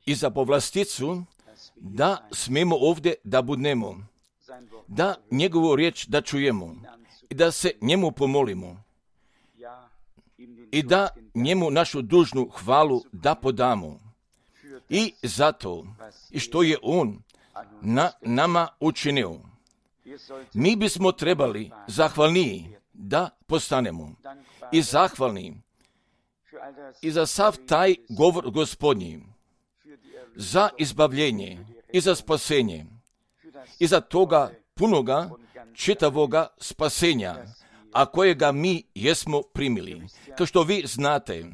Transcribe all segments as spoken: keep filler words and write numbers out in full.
i za povlasticu da smemo ovdje da budnemo, da njegovu riječ da čujemo i da se njemu pomolimo i da njemu našu dužnu hvalu da podamo. I zato, i što je on na nama učinio, mi bismo trebali zahvalniji da postanemo i zahvalni i za sav taj govor Gospodnji, za izbavljenje i za spasenje i za toga punoga čitavoga spasenja, a kojega mi jesmo primili. Kao što vi znate,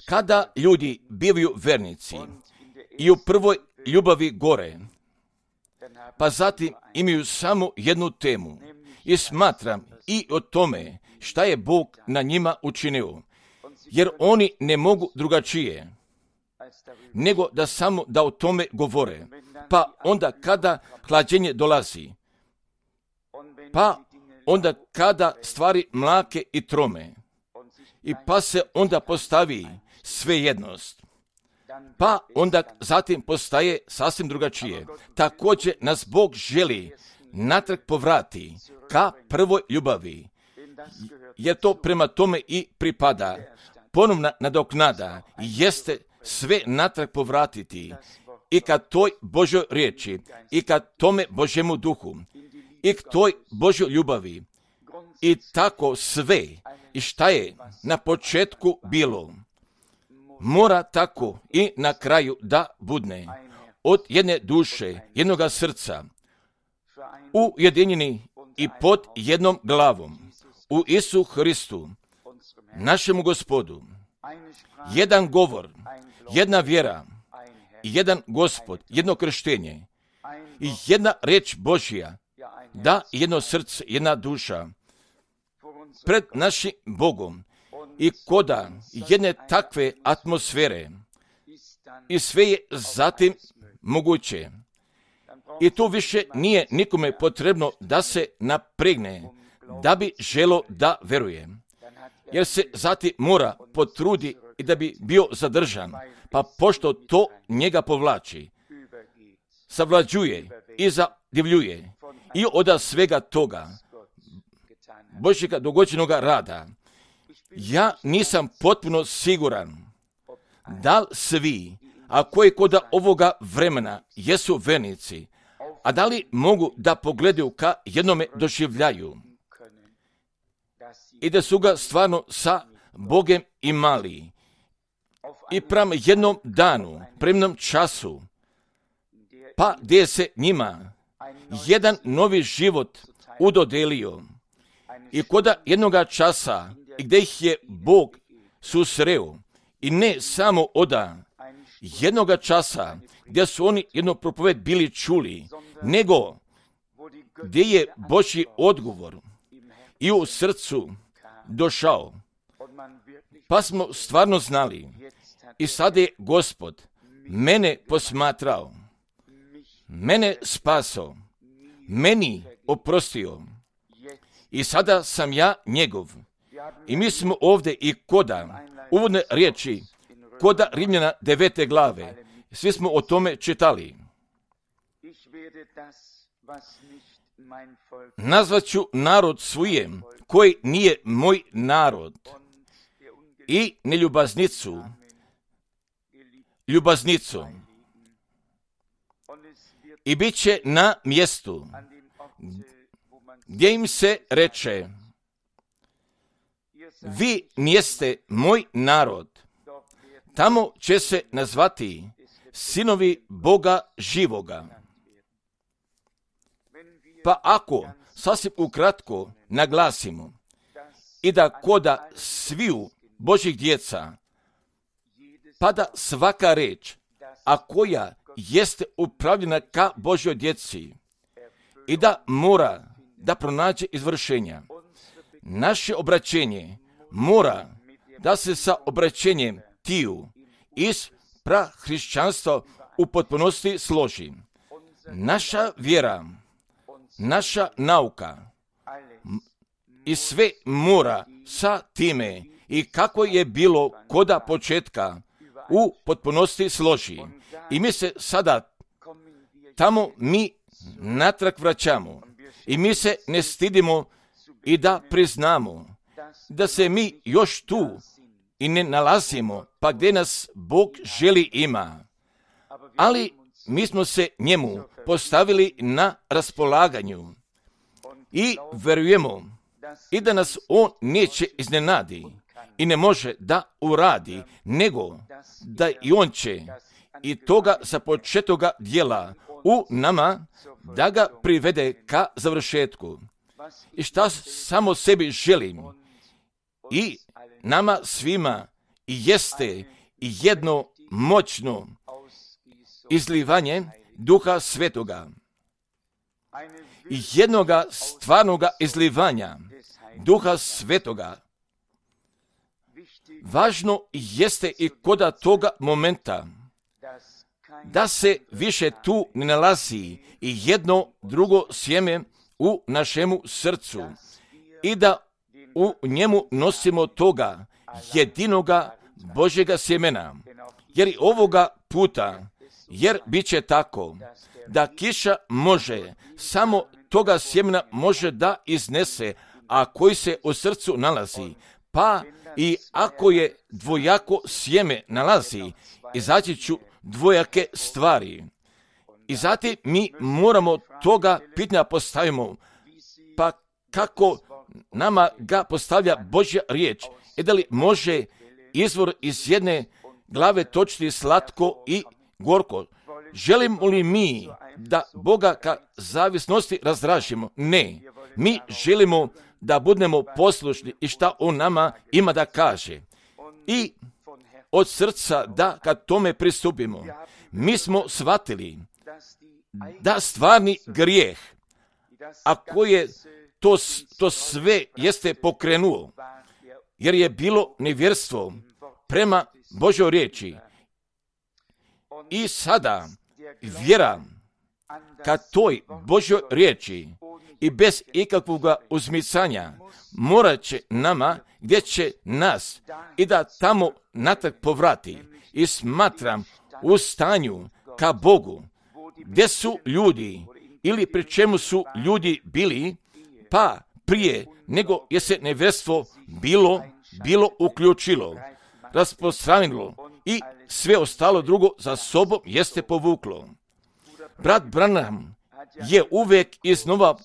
kada ljudi bivaju vernici i u prvoj ljubavi gore, pa zatim imaju samo jednu temu i smatram i o tome šta je Bog na njima učinio, jer oni ne mogu drugačije nego da samo da o tome govore. Pa onda kada hlađenje dolazi, pa onda kada stvari mlake i trome, i pa se onda postavi svejednost, pa onda zatim postaje sasvim drugačije. Također nas Bog želi natrag povrati ka prvoj ljubavi, jer to prema tome i pripada. Ponovna nadoknada jeste sve natrag povratiti i ka toj Božoj riječi i ka tome Božjemu duhu i k toj Božjoj ljubavi i tako sve i šta je na početku bilo mora tako i na kraju da budne od jedne duše, jednoga srca, ujedinjeni i pod jednom glavom u Isu Hristu, našemu Gospodu. Jedan govor, jedna vjera, jedan Gospod, jedno krštenje i jedna riječ Božja, da jedno srce, jedna duša pred našim Bogom i koda jedne takve atmosfere i sve je zatim moguće. I tu više nije nikome potrebno da se napregne, da bi želo da veruje, jer se zatim mora potrudi i da bi bio zadržan, pa pošto to njega povlači, savlađuje i zadivljuje i od svega toga Božjega dogođenoga rada. Ja nisam potpuno siguran da li svi, a koji koda ovoga vremena jesu vernici, a da li mogu da pogledaju ka jednome doživljaju i da su ga stvarno sa Bogem imali i prema jednom danu, prema jednom času, pa gdje se njima jedan novi život udodelio i koda jednoga časa i gdje ih je Bog susreo i ne samo oda jednoga časa gdje su oni jedno propoved bili čuli, nego gdje je Božji odgovor i u srcu došao. Pa smo stvarno znali i sad je Gospod mene posmatrao, mene spasao, meni oprostio i sada sam ja njegov. I mi smo ovdje i koda uvodne riječi, koda Rimljana devete glave, svi smo o tome čitali. Nazvat ću narod svujem, koji nije moj narod, i neljubaznicu, ljubaznicu. I bit će na mjestu gdje im se reče, vi nijeste moj narod. Tamo će se nazvati sinovi Boga živoga. Pa ako sasvim ukratko naglasimo i da koda sviju Božjih djeca pada svaka reč, a koja jeste upravljena ka Božjoj djeci i da mora da pronađe izvršenja. Naše obraćenje mora da se sa obraćenjem tiju iz prahrišćanstva u potpunosti složi. Naša vjera, naša nauka i sve mora sa time i kako je bilo koda početka u potpunosti složi. I mi se sada tamo mi natrag vraćamo i mi se ne stidimo i da priznamo da se mi još tu i ne nalazimo pa gdje nas Bog želi ima. Ali mi smo se njemu postavili na raspolaganju i vjerujemo i da nas on neće iznenadi i ne može da uradi, nego da i on će i toga započetoga djela u nama da ga privede ka završetku. I šta samo sebi želim i nama svima jeste jedno moćno izlivanje Duha Svetoga i jednoga stvarnoga izlivanja Duha Svetoga. Važno jeste i koda toga momenta da se više tu ne nalazi i jedno drugo sjeme u našemu srcu i da u njemu nosimo toga jedinoga Božjega sjemena. Jer i ovoga puta, jer bit će tako da kiša može, samo toga sjemena može da iznese, a koji se u srcu nalazi, pa i ako je dvojako sjeme nalazi, izaći ću dvojake stvari. I zatim mi moramo toga pitanja postavimo, pa kako nama ga postavlja Božja riječ, i da li može izvor iz jedne glave točiti slatko i gorko. Želimo li mi da Boga ka zavisnosti razdražimo? Ne. Mi želimo da budemo poslušni i šta on nama ima da kaže. I od srca da kad tome pristupimo, mi smo shvatili da stvarni grijeh, a koji je to, to sve jeste pokrenuo, jer je bilo nevjerstvo prema Božoj riječi. I sada vjera ka toj Božoj riječi i bez ikakvog uzmicanja morat će nama gdje će nas i da tamo natrag povrati. I smatram u stanju ka Bogu gdje su ljudi ili pri čemu su ljudi bili, pa prije nego je se nevjerstvo bilo, bilo uključilo, rasprostranilo i sve ostalo drugo za sobom jeste povuklo. Brat Branham je uvijek iznova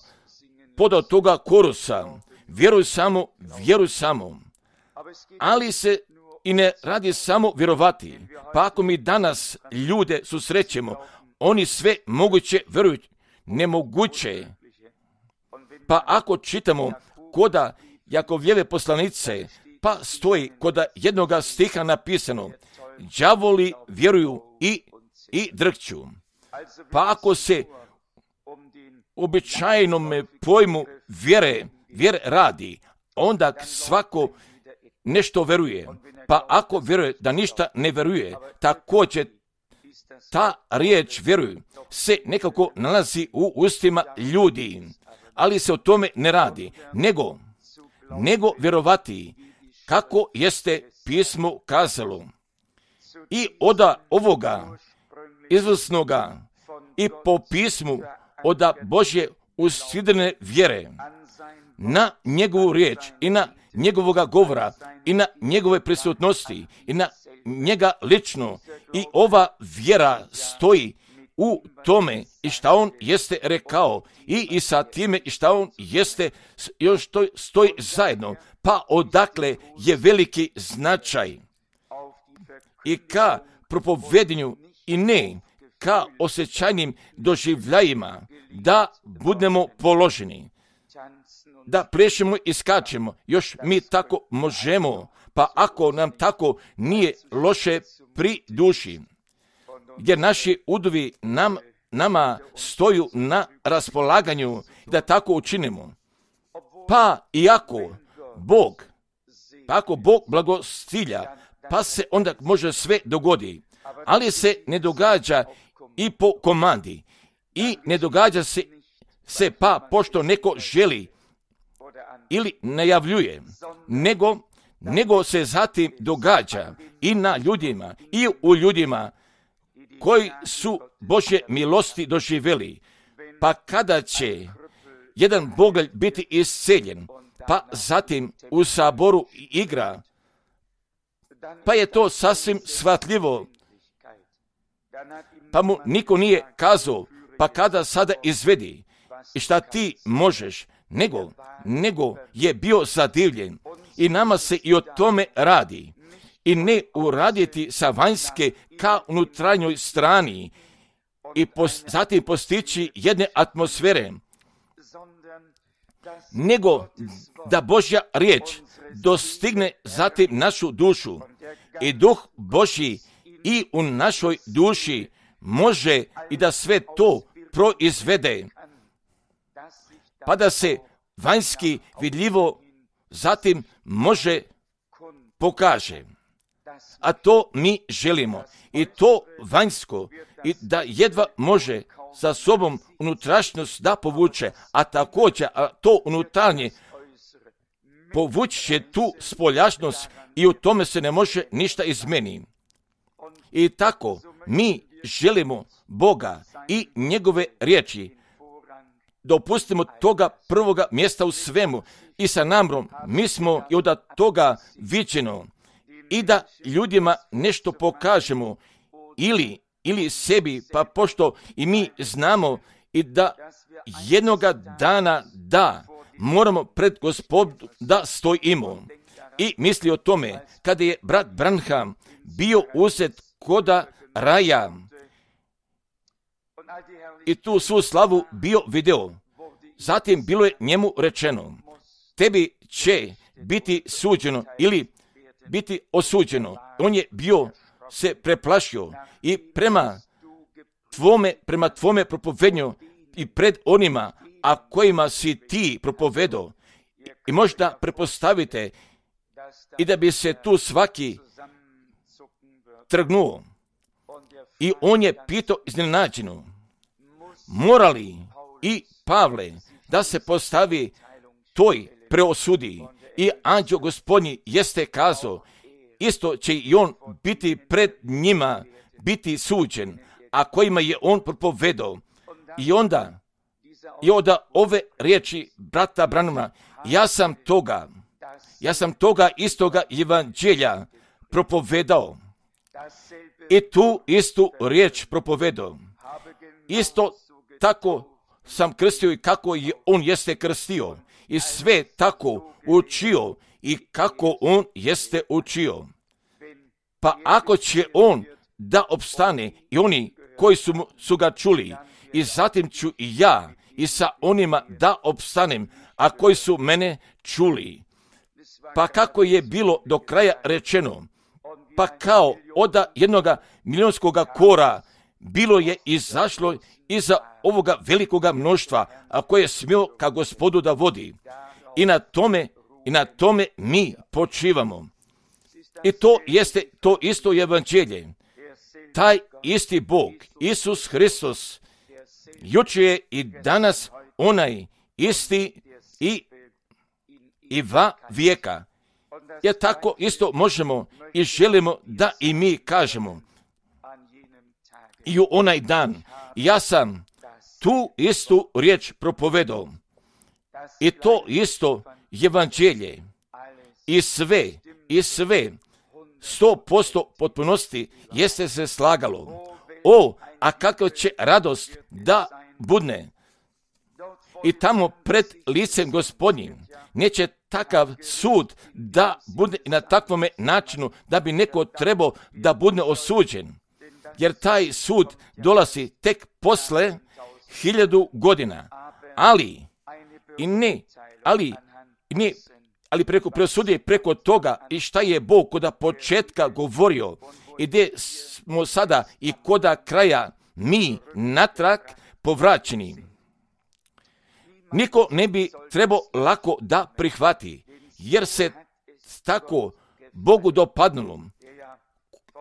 podao toga korusa, vjeruj samo, vjeruj samo, ali se i ne radi samo vjerovati. Pa ako mi danas ljude susrećemo, oni sve moguće vjeruju, nemoguće. Pa ako čitamo koda Jakovljeve poslanice, pa stoji koda jednoga stiha napisano, đavoli vjeruju i, i drhću. Pa ako se običajnom pojmu vjere, vjere radi, onda svako nešto vjeruje. Pa ako vjeruje da ništa ne vjeruje, također ta riječ vjeruju se nekako nalazi u ustima ljudi, ali se o tome ne radi, nego, nego vjerovati kako jeste pismo kazalo. I od ovoga izvrsnoga i po pismu od Božje usidrene vjere na njegovu riječ i na njegovoga govora i na njegove prisutnosti i na njega lično. I ova vjera stoji u tome i šta on jeste rekao i, i sa time i šta on jeste još stoji, stoji zajedno. Pa odakle je veliki značaj i ka propovedanju i ne ka osjećajnim doživljajima da budemo položeni, da plešemo i skačemo, još mi tako možemo, pa ako nam tako nije loše pri duši, jer naši udovi nam, nama stoju na raspolaganju da tako učinimo. Pa iako Bog, pa ako Bog blagostilja, pa se onda može sve dogodi, ali se ne događa i po komandi i ne događa se, se pa pošto neko želi ili najavljuje, nego nego se zatim događa i na ljudima i u ljudima koji su Božje milosti doživjeli. Pa kada će jedan bogalj biti isceljen, pa zatim u saboru igra, pa je to sasvim shvatljivo. Pa mu niko nije kazao, pa kada sada izvedi i šta ti možeš, nego, nego je bio zadivljen. I nama se i o tome radi. I ne uraditi sa vanjske ka unutarnjoj strani i pos, zatim postići jedne atmosfere, nego da Božja riječ dostigne zatim našu dušu i Duh Božji i u našoj duši može i da sve to proizvede, pa da se vanjski vidljivo zatim može pokaže. A to mi želimo. I to vanjsko, i da jedva može sa sobom unutrašnjost da povuče, a također a to unutarnje povući će tu spoljašnost i u tome se ne može ništa izmeniti. I tako mi želimo Boga i njegove riječi. Dopustimo toga prvoga mjesta u svemu i sa namrom mi smo i od toga viđeno i da ljudima nešto pokažemo ili, ili sebi, pa pošto i mi znamo i da jednoga dana da moramo pred Gospodom da stojimo. I misli o tome kada je brat Branham bio uzet koda raja i tu svu slavu bio video. Zatim bilo je njemu rečeno, tebi će biti suđeno ili biti osuđeno. On je bio se preplašio i prema tvome, prema tvome propovednju i pred onima, a kojima si ti propovedao. I možda prepostavite i da bi se tu svaki trgnuo. I on je pitao iznenađeno, mora li i Pavle da se postavi toj preosudi? I anđeo Gospodnji jeste kazao, isto će i on biti pred njima, biti suđen, a kojima je on propovedao. I onda, i onda ove riječi brata Branhama, ja sam toga, ja sam toga istoga evanđelja propovedao. I tu istu riječ propovedao. Isto tako sam krstio i kako je on jeste krstio. I sve tako učio i kako on jeste učio. Pa ako će on da opstane i oni koji su, su ga čuli, i zatim ću i ja i sa onima da opstanem, a koji su mene čuli. Pa kako je bilo do kraja rečeno, pa kao od jednoga milionskoga kora bilo je izašlo iza ovoga velikoga mnoštva, a koje je smio ka Gospodu da vodi. I na tome, i na tome mi počivamo. I to jeste to isto evanđelje. Taj isti Bog, Isus Hristos, jučer je i danas onaj isti i, i va vijeka. Jer tako isto možemo i želimo da i mi kažemo. I u onaj dan ja sam tu istu riječ propovedao. I to isto evanđelje. I sve, i sve, sto posto potpunosti jeste se slagalo. O, a kakva će radost da budne. I tamo pred licem Gospodnjim neće takav sud da bude i na takvome načinu da bi neko trebao da bude osuđen. Jer taj sud dolazi tek posle hiljadu godina. Ali, i ne, ali, i ne, ali preko preosudije, preko toga i šta je Bog koda početka govorio i gdje smo sada i koda kraja mi natrag povraćeni. Niko ne bi trebao lako da prihvati, jer se tako Bogu dopadnulo,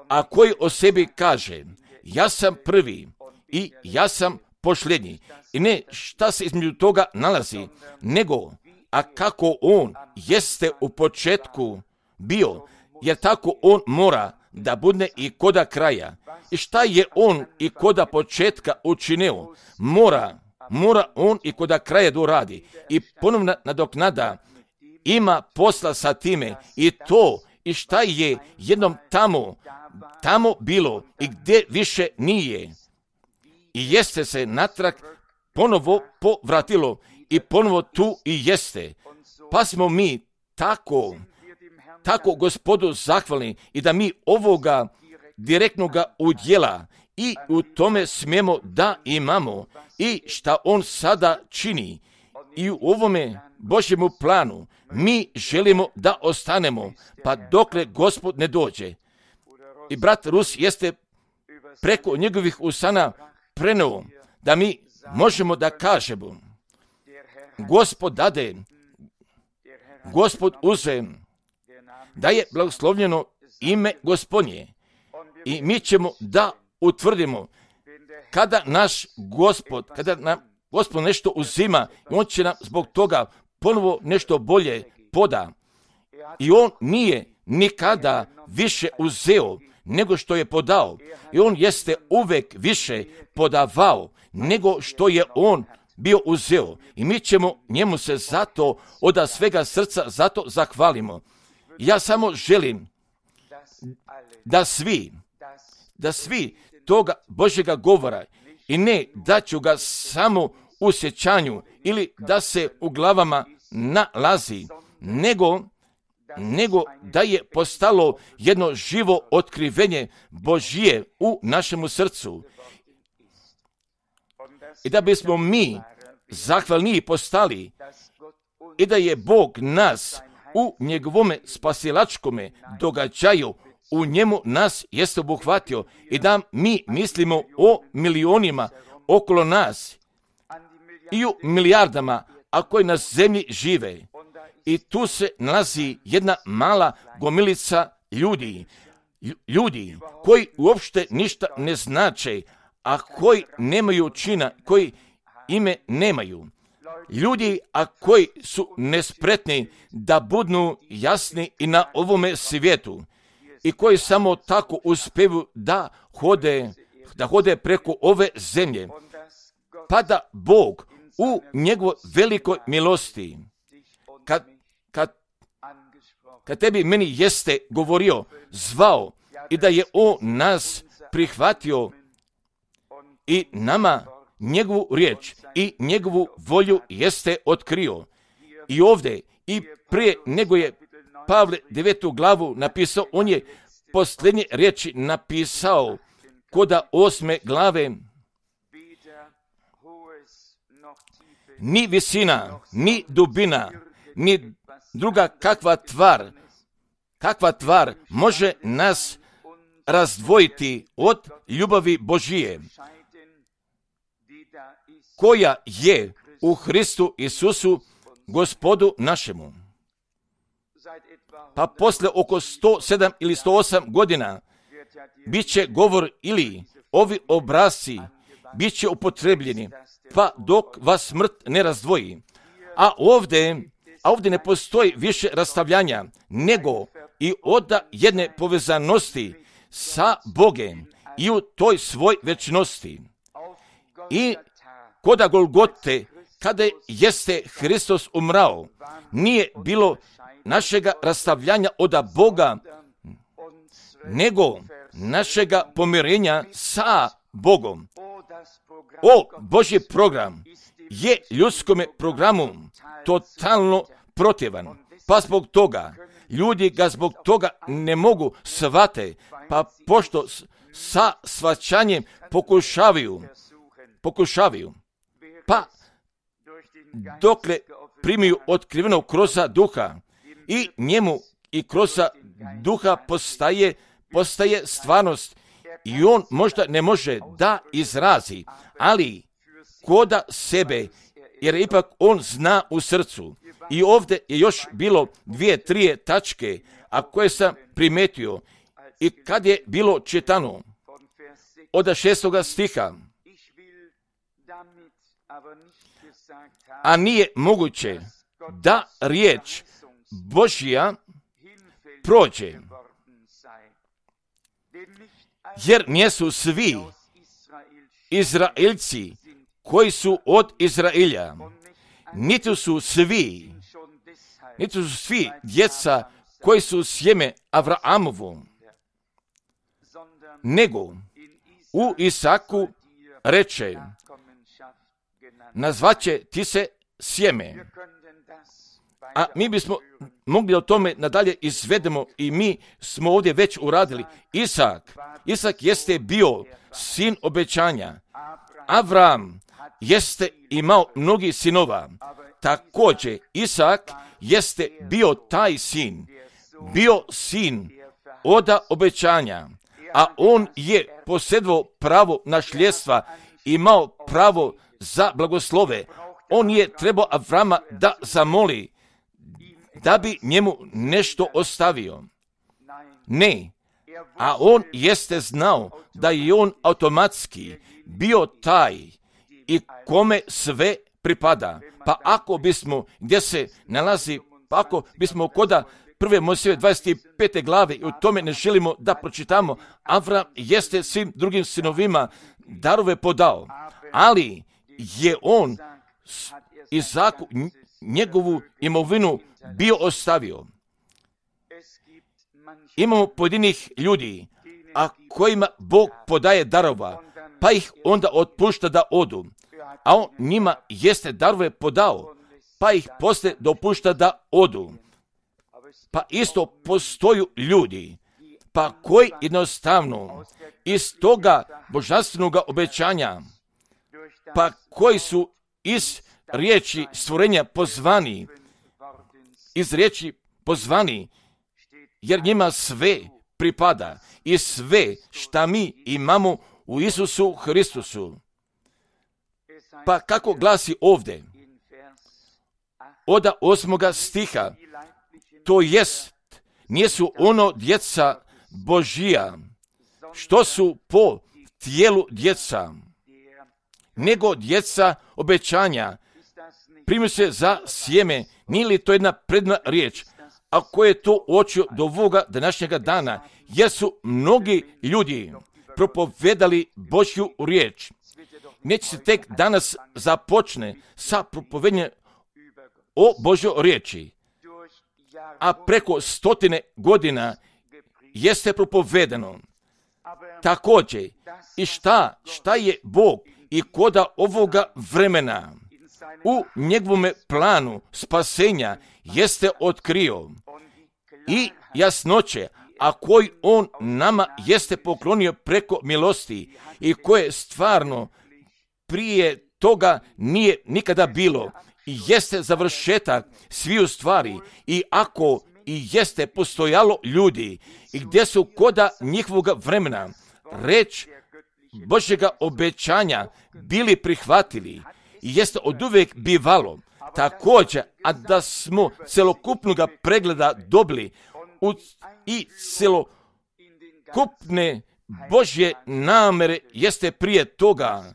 a koji o sebi kaže, ja sam prvi i ja sam posljednji. I ne šta se između toga nalazi, nego, a kako on jeste u početku bio, jer tako on mora da bude i koda kraja. I šta je on i koda početka učinio, mora, mora on i koda kraja doradi. I ponovna nadoknada ima posla sa time i to i šta je jednom tamo, tamo bilo i gdje više nije. I jeste se natrag ponovo povratilo i ponovo tu i jeste. Pa smo mi tako, tako Gospodu zahvalni i da mi ovoga direktnoga udjela i u tome smijemo da imamo i šta on sada čini. I u ovome Božjemu planu mi želimo da ostanemo, pa dokle Gospod ne dođe. I brat Rus jeste preko njegovih usana preneo da mi možemo da kažemo Gospod dade, Gospod uze, da je blagoslovljeno ime Gospodnje. I mi ćemo da utvrdimo kada naš Gospod, kada nam Gospod nešto uzima, on će nam zbog toga ponovo nešto bolje poda. I on nije nikada više uzeo nego što je podao. I on jeste uvek više podavao nego što je on bio uzeo. I mi ćemo njemu se zato od svega srca zato zahvalimo. Ja samo želim da svi, da svi toga Božjega govora i ne da ću ga samo u sjećanju ili da se u glavama nalazi, nego, nego da je postalo jedno živo otkrivenje Božje u našemu srcu. I da bismo mi zahvalniji postali i da je Bog nas u njegovome spasilačkome događaju, u njemu nas jeste obuhvatio i da mi mislimo o milionima okolo nas i u milijardama, a koji na zemlji žive. I tu se nalazi jedna mala gomilica ljudi, ljudi koji uopšte ništa ne znače, a koji nemaju čina, koji ime nemaju. Ljudi, a koji su nespretni da budu jasni i na ovome svijetu i koji samo tako uspjevu da hode, da hode preko ove zemlje, pa da Bog u njegovoj velikoj milosti, kad, kad, kad tebi meni jeste govorio, zvao i da je on nas prihvatio i nama njegovu riječ i njegovu volju jeste otkrio. I ovdje i prije nego je Pavle devetu glavu napisao, on je posljednje riječi napisao koda osme glave. Ni visina, ni dubina, ni druga kakva tvar, kakva tvar može nas razdvojiti od ljubavi Božije, koja je u Hristu Isusu, Gospodu našemu. Pa posle oko sto sedam ili sto osam godina bit će govor ili ovi obrazci bit će upotrebljeni, pa dok vas smrt ne razdvoji. A ovdje, a ovdje ne postoji više rastavljanja, nego i od jedne povezanosti sa Bogem i u toj svoj večnosti. I koda Golgote, kada jeste Hristos umrao, nije bilo našega rastavljanja od Boga, nego našega pomirenja sa Bogom. O, Božji program je ljudskome programu totalno protivan, pa zbog toga ljudi ga zbog toga ne mogu shvate, pa pošto sa shvaćanjem pokušavaju, pokušavaju, pa dokle primiju otkrivenog kroza duha i njemu i kroza duha postaje, postaje stvarnost i on možda ne može da izrazi, ali koda sebe, jer ipak on zna u srcu. I ovdje je još bilo dvije, trije tačke, a koje sam primetio i kad je bilo čitano od šestoga stiha, a nije moguće da riječ Božja prođe. Jer nijesu svi Izraelci koji su od Izraelja, niti su svi, niti su svi djeca koji su sjeme Avrahamovu, nego u Isaku reče, nazvaće ti se sjeme. A mi bismo mogli o tome nadalje izvedemo i mi smo ovdje već uradili. Isak, Isak jeste bio sin obećanja. Avram jeste imao mnogi sinova. Također Isak jeste bio taj sin, bio sin oda obećanja, a on je posjedovao pravo nasljedstva, imao pravo za blagoslove. On je trebao Avrama da zamoli da bi njemu nešto ostavio. Ne, a on jeste znao da je on automatski bio taj i kome sve pripada. Pa ako bismo, gdje se nalazi, pa ako bismo koda prve Mojsijeve dvadeset pete glave i u tome ne želimo da pročitamo, Avram jeste svim drugim sinovima darove podao, ali je on Izaku njegovu imovinu bio ostavio. Imamo pojedinih ljudi, a kojima Bog podaje darova, pa ih onda otpušta da odu, a on njima jeste darove podao, pa ih poslije dopušta da odu. Pa isto postoju ljudi, pa koji jednostavno iz toga božanstvenog obećanja, pa koji su iz riječi stvorenja pozvani, iz riječi pozvani, jer njima sve pripada i sve šta mi imamo u Isusu Hristusu. Pa kako glasi ovdje, oda osmoga stiha, to jest, nijesu ono djeca Božija, što su po tijelu djeca, nego djeca obećanja. Primi se za sjeme, nije li to jedna predna riječ, a koje je to uočio do ovoga današnjega dana, jer su mnogi ljudi propovedali Božju riječ. Neće se tek danas započne sa propovednjem o Božjoj riječi, a preko stotine godina jeste propovedeno. Također, i šta, šta je Bog i koda ovoga vremena u njegovome planu spasenja jeste otkrio i jasnoće, a koji on nama jeste poklonio preko milosti i koje stvarno prije toga nije nikada bilo i jeste završetak sviju stvari. I ako i jeste postojalo ljudi i gdje su koda njihovog vremena reč Božjega obećanja bili prihvatili i jeste oduvijek bivalo također, a da smo celokupnog pregleda dobili u, i celokupne Božje namere jeste prije toga,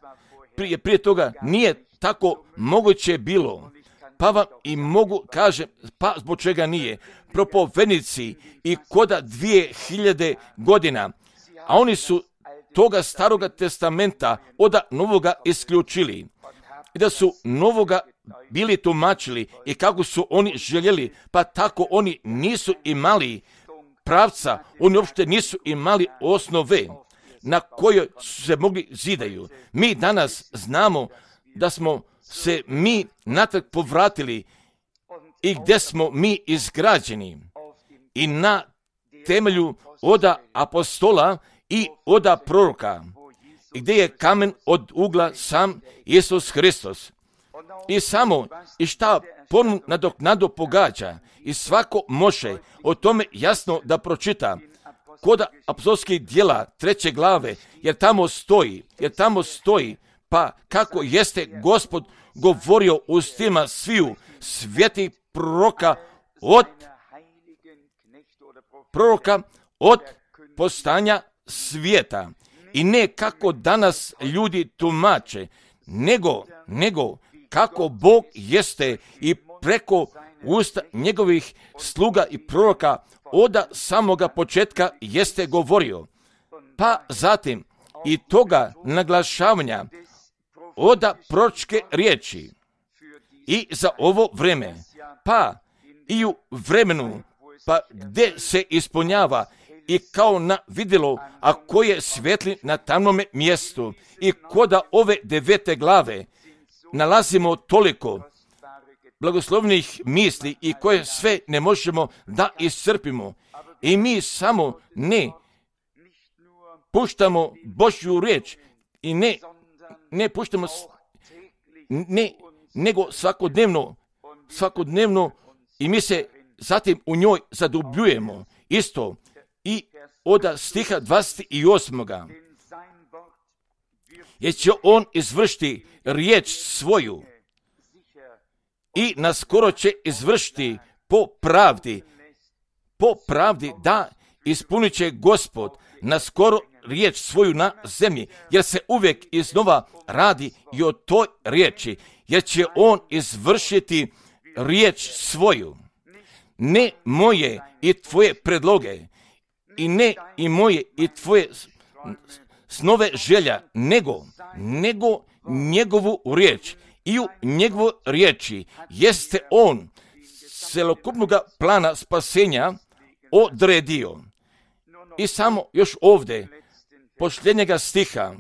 prije, prije toga nije tako moguće bilo. Pa vam i mogu kažem, pa zbog čega nije. Propovednici i koda dvije hiljade godina, a oni su toga staroga testamenta oda novoga isključili. I da su novoga bili tumačili i kako su oni željeli, pa tako oni nisu imali pravca, oni uopšte nisu imali osnove na kojoj su se mogli zidaju. Mi danas znamo da smo se mi natrag povratili i gdje smo mi izgrađeni i na temelju oda apostola i oda proroka, i gdje je kamen od ugla sam Isus Hristos. I samo i šta ponu nadoknadu pogađa i svako može o tome jasno da pročita kod apostolskih djela treće glave, jer tamo stoji, jer tamo stoji, pa kako jeste Gospod govorio ustima sviju svetih proroka od proroka od postanja svijeta. I ne kako danas ljudi tumače, nego, nego kako Bog jeste i preko usta njegovih sluga i proroka od samoga početka jeste govorio, pa zatim i toga naglašavanja od proročke riječi i za ovo vreme, pa i u vremenu, pa gdje se ispunjava i kao na vidjelo, a koje svetli na tamnome mjestu i koda ove devete glave nalazimo toliko blagoslovnih misli i koje sve ne možemo da iscrpimo. I mi samo ne puštamo Božju riječ i ne, ne puštamo, ne, nego svakodnevno, svakodnevno i mi se zatim u njoj zadubljujemo. Isto i od stiha dvadeset osam. Jer će on izvršiti riječ svoju i naskoro će izvršiti po pravdi, po pravdi da ispunit će Gospod naskoro riječ svoju na zemlji, jer se uvijek iznova radi i o toj riječi, jer će on izvršiti riječ svoju. Ne moje i tvoje predloge, i ne i moje i tvoje snove želja, nego, nego njegovu riječ. I u njegovu riječi jeste on celokupnog plana spasenja odredio. I samo još ovdje, posljednjega stiha,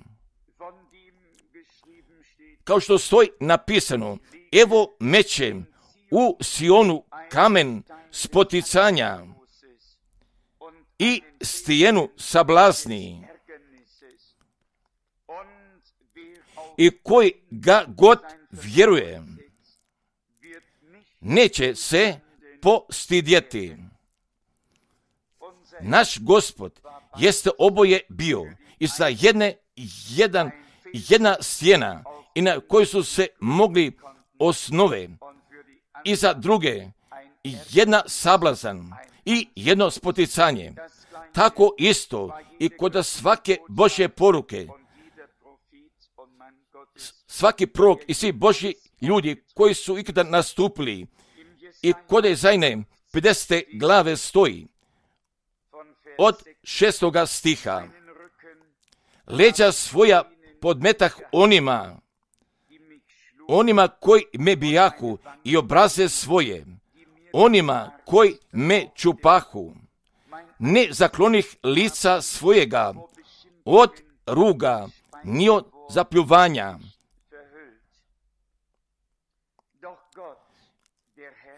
kao što stoji napisano, evo mećem u Sionu kamen spoticanja i stijenu sablazni, i koji ga god vjeruje, neće se postidjeti. Naš Gospod jeste oboje bio i za jedne, jedan, jedna stijena i na kojoj su se mogli osnove, i za druge jedna sablazan i jedno spoticanje. Tako isto i kod svake Božje poruke, svaki prorok i svi Božji ljudi koji su ikada nastupili i kod Jezajne pedesete glave stoji od šestoga stiha. Leđa svoja podmetah onima, onima koji me bijahu i obraze svoje, onima koji me čupahu. Ne zaklonih lica svojega od ruga, ni od zapljuvanja.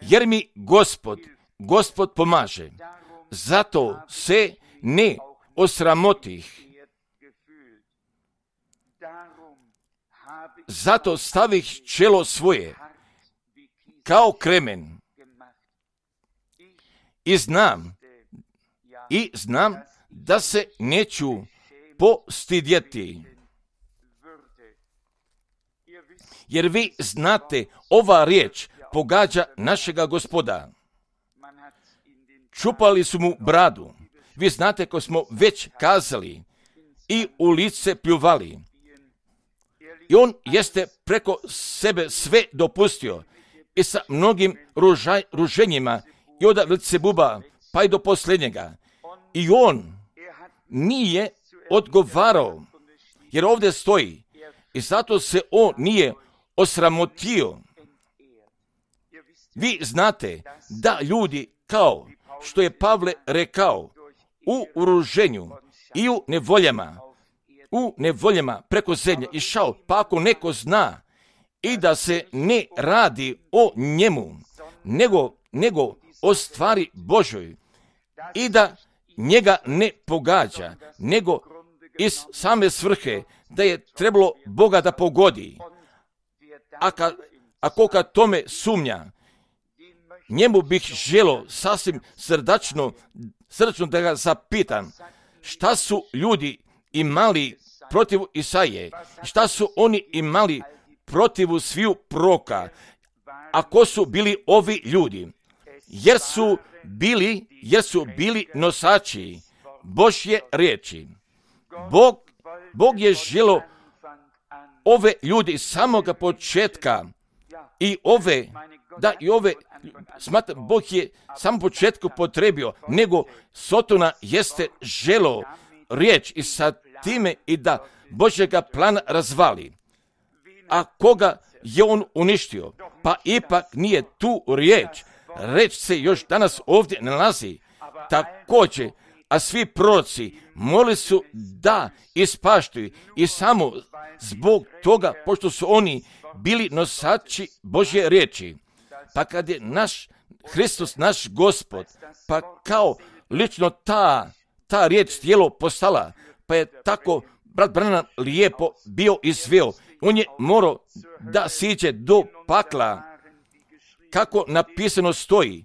Jer mi Gospod, Gospod pomaže, zato se ne osramotih. Zato stavih čelo svoje kao kremen. I znam, i znam da se neću postidjeti. Jer vi znate, ova riječ pogađa našega Gospoda. Čupali su mu bradu. Vi znate, ko smo već kazali, i u lice pljuvali. I on jeste preko sebe sve dopustio i sa mnogim ružaj, ruženjima i od Belzebuba pa i do posljednjega. I on nije odgovarao, jer ovdje stoji, i zato se on nije osramotio. Vi znate da ljudi, kao što je Pavle rekao, u uruženju i u nevoljama, u nevoljama preko zemlje išao, pa ako neko zna i da se ne radi o njemu, nego, nego o stvari Božoj, i da njega ne pogađa, nego iz same svrhe da je trebalo Boga da pogodi. A ka, ako kad tome sumnja, njemu bih želo sasvim srdačno, srdačno da ga zapitam, šta su ljudi imali protiv Isaije, šta su oni imali protiv sviju proroka, a ko su bili ovi ljudi, jer su bili, jer su bili nosači Božje riječi. Bog, Bog je želo ove ljudi iz samoga početka I ove, da i ove, smatram, Bog je sam početku potrebio, nego Sotona jeste želo riječ i sa time i da Božjega plana razvali. A koga je on uništio? Pa ipak nije tu riječ. Riječ se još danas ovdje nalazi. Također, a svi proroci molili su da ispaštuju i samo zbog toga, pošto su oni bili nosači Božje riječi. Pa kad je naš Hristos, naš Gospod, pa kao lično ta, ta riječ tijelo postala, pa je tako brat Branham lijepo bio izveo. On je morao da siđe do pakla, kako napisano stoji.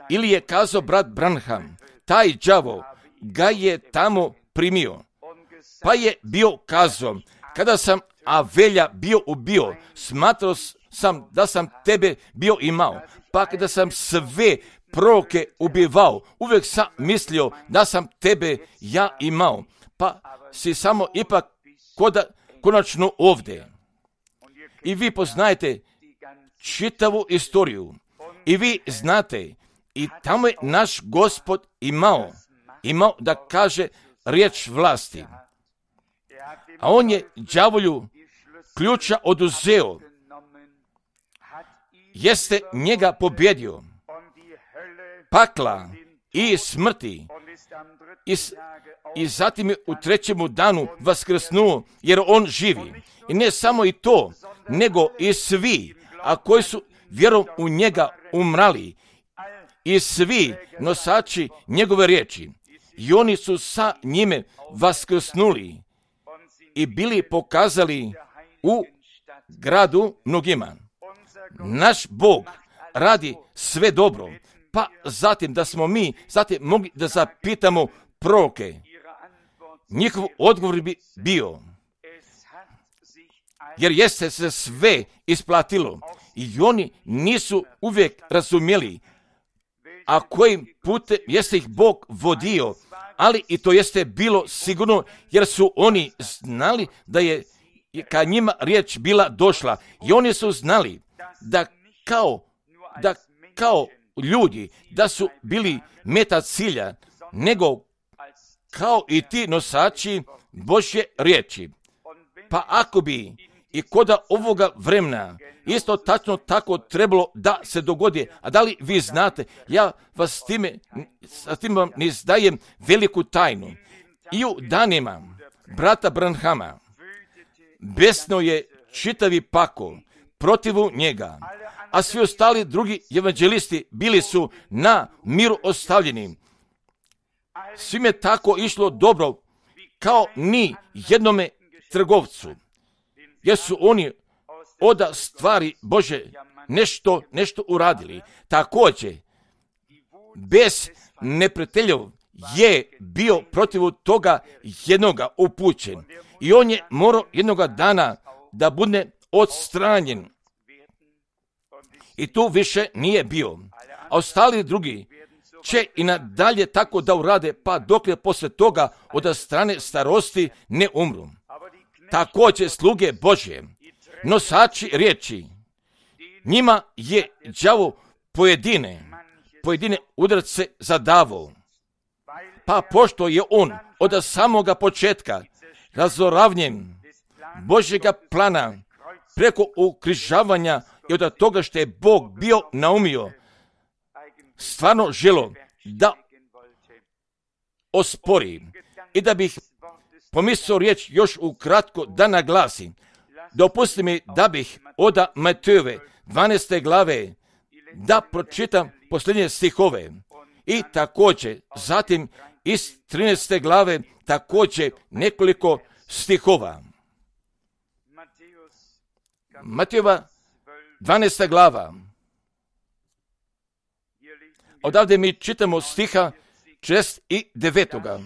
Ili je kazao brat Branham, taj đavo ga je tamo primio. Pa je bio kazao, kada sam Avelja bio ubio, smatrao sam da sam tebe bio imao. Pa kada sam sve proroke ubivao, uvijek sam mislio da sam tebe ja imao. Pa si samo ipak koda, konačno ovdje. I vi poznajete čitavu istoriju. I vi znate, i tamo je naš Gospod imao, imao da kaže riječ vlasti. A on je đavolju ključa oduzeo, jeste njega pobjedio, pakla i smrti, i, i zatim je u trećemu danu vaskrsnuo, jer on živi. I ne samo i to, nego i svi, a koji su vjerom u njega umrali, i svi nosači njegove riječi, i oni su sa njime vaskrsnuli i bili pokazali u gradu mnogima. Naš Bog radi sve dobro, pa zatim da smo mi zatim mogli da zapitamo proroke. Njihov odgovor bi bio, jer jeste se sve isplatilo i oni nisu uvijek razumjeli, a kojim putem jeste ih Bog vodio, ali i to jeste bilo sigurno, jer su oni znali da je ka njima riječ bila došla i oni su znali da kao, da kao ljudi, da su bili meta cilja, nego kao i ti nosači Božje riječi. Pa ako bi i koda ovoga vremena isto tačno tako trebalo da se dogodi, a da li vi znate, ja vas s time, s tim vam ne izdajem veliku tajnu. I u danima brata Branhama besno je čitavi pakao protivu njega, a svi ostali drugi evanđelisti bili su na miru ostavljeni. Svim je tako išlo dobro kao ni jednome trgovcu, jer su oni od stvari Bože nešto, nešto uradili. Također, bez neprijateljev je bio protiv toga jednoga upućen i on je morao jednoga dana da bude odstranjen. I tu više nije bio. A ostali drugi će i nadalje tako da urade, pa dokle posle toga od strane starosti ne umru. Također sluge Božje, nosači riječi, njima je đavo pojedine, pojedine udarce zadavao. Pa pošto je on od samoga početka razoravnjen Božjega plana preko ukrižavanja i od toga što je Bog bio naumio, stvarno želo da ospori i da bih pomislio riječ još ukratko da naglasim. Dopusti mi da bih od Matejove dvanaeste glave da pročitam posljednje stihove i također zatim iz trinaeste glave također nekoliko stihova. Matejova dvanaesta glava. Odavde mi čitamo stiha šest i devetoga.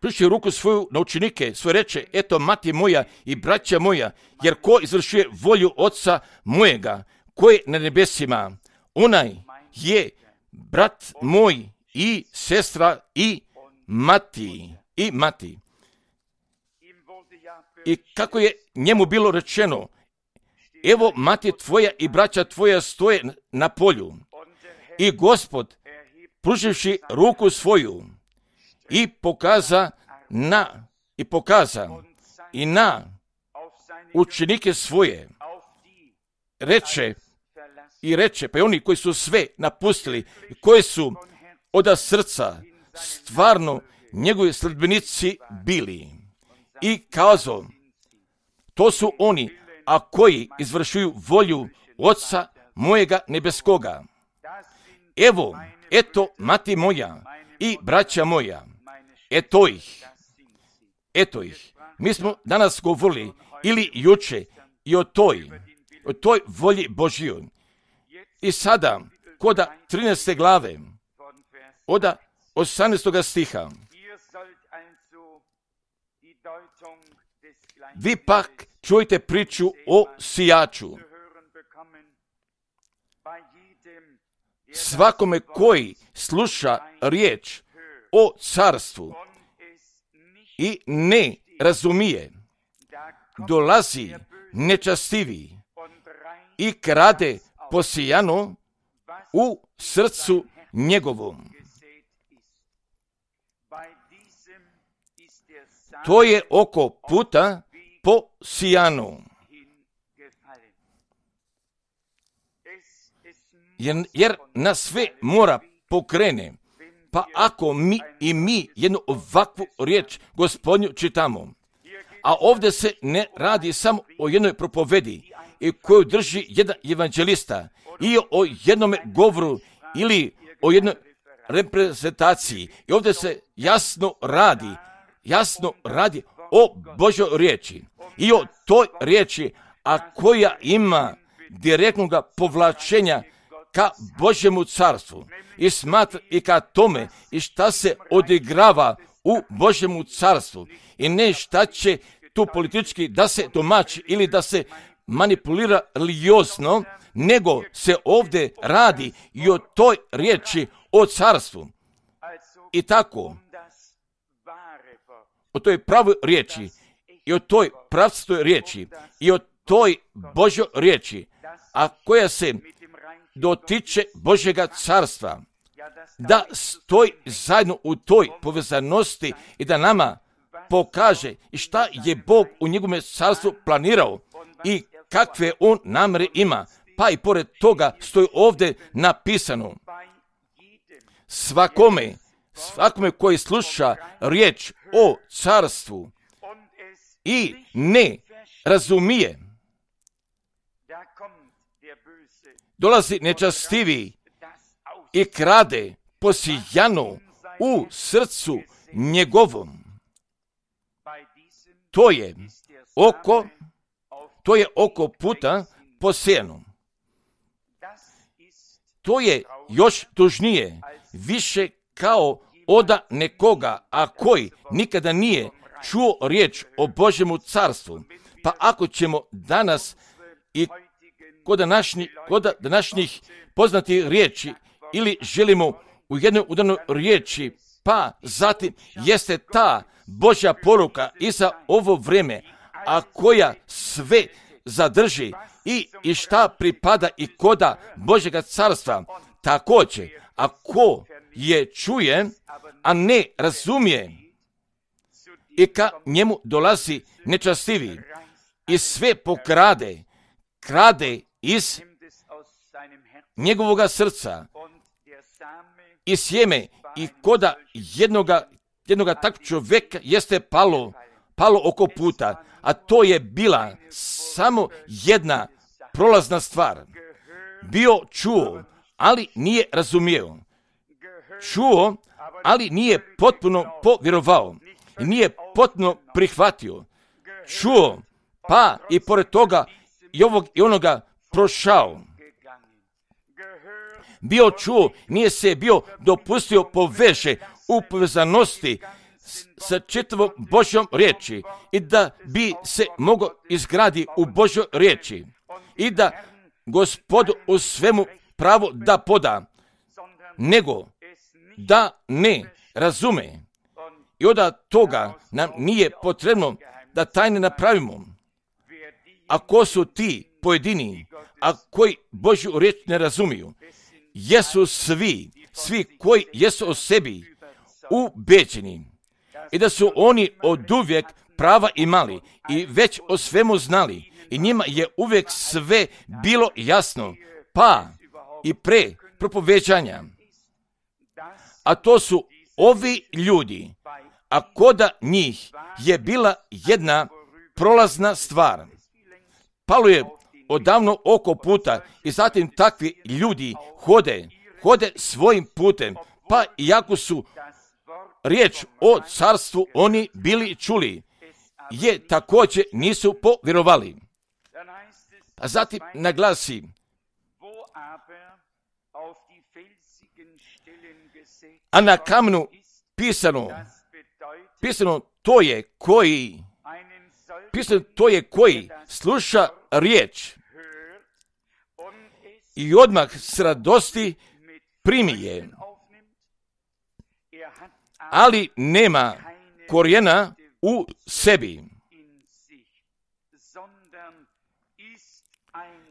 Pružio ruku svoju na učenike, svoje reče, eto mati moja i braća moja, jer ko izvršuje volju Oca mojega, ko je na nebesima, onaj je brat moj i sestra i mati, i mati. I kako je njemu bilo rečeno, evo mati tvoja i braća tvoja stoje na polju. I Gospod, pruživši ruku svoju, i pokaza na, i pokaza i na učenike svoje, reče, i reče, pa i oni koji su sve napustili, koji su od srca stvarno njegovi sledbenici bili. I kazao, to su oni, a koji izvršuju volju Oca mojega nebeskoga. Evo, eto mati moja i braća moja, eto ih, eto ih. Mi smo danas govorili ili juče i o toj, o toj volji Božjoj. I sada, koda trinaeste glave, od osamnaestog stiha, vi pak čujte priču o sijaču. Svakome koji sluša riječ o carstvu i ne razumije, dolazi nečastivi i krade posijano u srcu njegovom. To je oko puta posijano. Jer, jer nas sve mora pokrene. Pa ako mi i mi jednu ovakvu riječ Gospodnju čitamo, a ovdje se ne radi samo o jednoj propovedi i koju drži jedan evanđelista i o jednome govoru ili o jednoj reprezentaciji. I ovdje se jasno radi, jasno radi o Božoj riječi i o toj riječi, a koja ima direktnog povlačenja ka Božjemu carstvu i smatra i ka tome i šta se odigrava u Božjemu carstvu i ne šta će tu politički da se tumači ili da se manipulira religiozno, nego se ovdje radi i o toj riječi o carstvu. I tako, o toj pravoj riječi i o toj pravstoj riječi i o toj Božjoj riječi, a koja se dotiče Božjega carstva, da stoji zajedno u toj povezanosti i da nama pokaže i šta je Bog u njegovom carstvu planirao i kakve on namere ima. Pa i pored toga stoji ovdje napisano, svakome, svakome koji sluša riječ o carstvu i ne razumije, dolazi nečastivi i krade posijano u srcu njegovom. To je oko, to je oko puta posijano. To je još tužnije, više kao oda nekoga, a koji nikada nije čuo riječ o Božjemu carstvu. Pa ako ćemo danas i kod današnjih, kod današnjih poznatih riječi ili želimo u jednoj udanoj riječi, pa zatim jeste ta Božja poruka i za ovo vrijeme, a koja sve zadrži i, i šta pripada i koda Božjega carstva. Također, ako je čuje, a ne razumije, i ka njemu dolazi nečastivi i sve pokrade, krade iz njegovoga srca i sjeme i koda jednoga, jednoga takvog čovjeka jeste palo, palo oko puta, a to je bila samo jedna prolazna stvar. Bio čuo, ali nije razumio. Čuo, ali nije potpuno povjerovao. Nije potpuno prihvatio. Čuo, pa i pored toga i ovog i onoga prošao. Bio čuo, nije se bio dopustio poveže u povezanosti sa čitavom Božjom riječi i da bi se mogao izgradi u Božjoj riječi i da Gospodu u svemu pravo da poda, nego da ne razume. I onda toga nam nije potrebno da tajne napravimo. A ko su ti pojedini, a koji Božju riječ ne razumiju? Jesu svi, svi koji jesu o sebi ubeđeni i da su oni oduvijek prava imali i već o svemu znali i njima je uvijek sve bilo jasno, pa i pre propoveđanja. A to su ovi ljudi, a koda njih je bila jedna prolazna stvar. Palo je odavno oko puta i zatim takvi ljudi hode, hode svojim putem, pa iako su riječ o carstvu oni bili čuli, je također nisu povjerovali. A zatim naglasi, a na kamenu pisano, pisano to je koji, pisano to je koji sluša riječ i odmah s radosti primi je, ali nema korijena u sebi,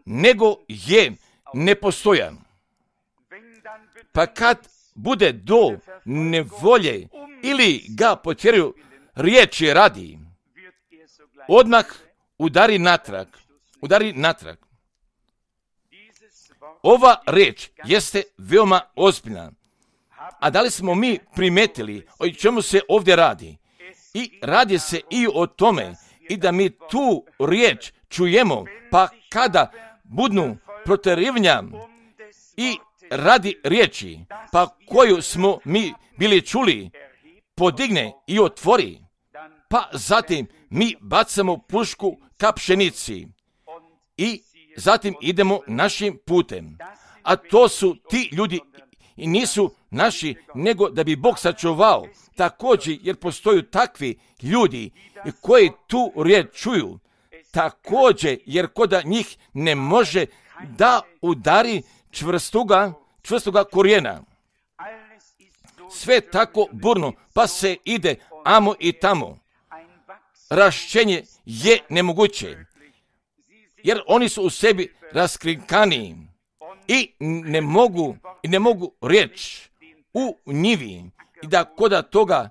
nego je nepostojan. Pa kad bude do nevolje ili ga potjeraju riječi radi, odmah udari natrag, udari natrag. Ova riječ jeste veoma ozbiljna. A da li smo mi primetili o čemu se ovdje radi? I radi se i o tome i da mi tu riječ čujemo, pa kada budnu proterivanja i radi riječi, pa koju smo mi bili čuli, podigne i otvori, pa zatim mi bacamo pušku ka pšenici i zatim idemo našim putem. A to su ti ljudi i nisu naši, nego da bi Bog sačuvao. Također, jer postoju takvi ljudi koji tu riječ čuju, također, jer koda njih ne može da udari čvrstoga, čvrstoga korijena. Sve tako burno, pa se ide amo i tamo. Rašćenje je nemoguće, jer oni su u sebi raskrinkani i ne mogu, i ne mogu riječ u njivi i da koda toga,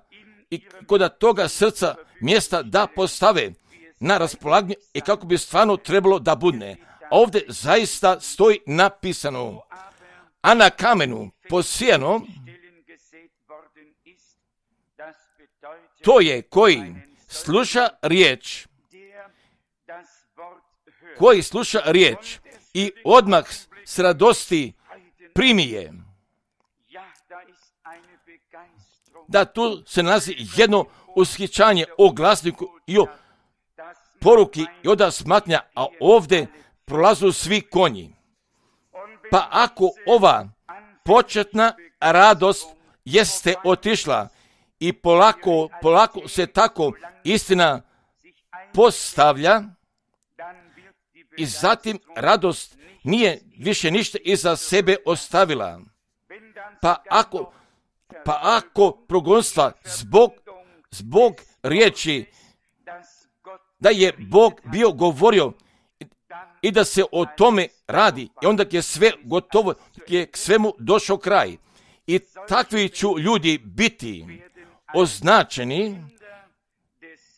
i koda toga srca mjesta da postave na raspolaganje i kako bi stvarno trebalo da budne. A ovdje zaista stoji napisano, a na kamenu posijano, to je koji sluša riječ, koji sluša riječ i odmah s radosti primi je. Da tu se nalazi jedno ushićanje o glasniku i o poruki i oda smatnja, a ovdje prolazu svi konji. Pa ako ova početna radost jeste otišla i polako, polako se tako istina postavlja i zatim radost nije više ništa iza sebe ostavila. Pa ako, pa ako progonstva zbog, zbog riječi da je Bog bio govorio i da se o tome radi i onda je sve gotovo, je k svemu došao kraj. I takvi ću ljudi biti označeni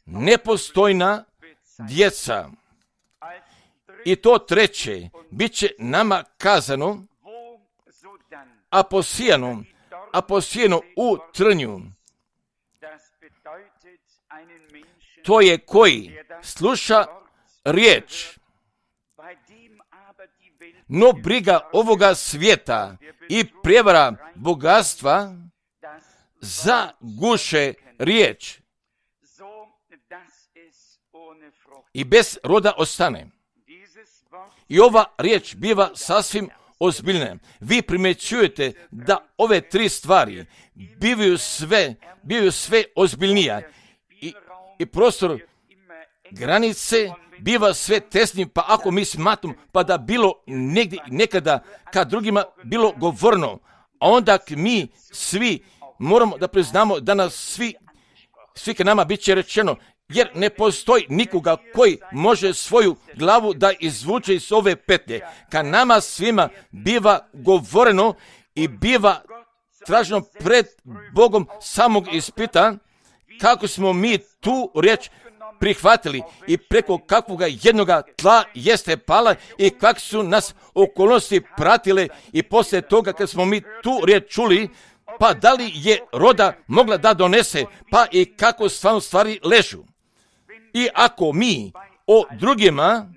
nepostojna djeca. I to treće, bit će nama kazano, a posijano, a posijano u trnju. To je koji sluša riječ, no briga ovoga svijeta i prijevara bogatstva zaguše riječ i bez roda ostane. I ova riječ biva sasvim ozbiljne. Vi primjećujete da ove tri stvari bivaju sve, bivaju sve ozbiljnija i, i prostor granice biva sve tesniji, pa ako mi smatramo pa da bilo negdje, nekada kad drugima bilo govorno, a onda mi svi moramo da priznamo da nas svi, svi ka nama bit će rečeno, jer ne postoji nikoga koji može svoju glavu da izvuče iz ove petlje. Kad nama svima biva govoreno i biva traženo pred Bogom samog ispita, kako smo mi tu riječ prihvatili i preko kakvoga jednoga tla jeste pala i kako su nas okolnosti pratile i poslije toga kad smo mi tu riječ čuli, pa da li je roda mogla da donese, pa i kako stvarno stvari ležu. I ako mi o drugima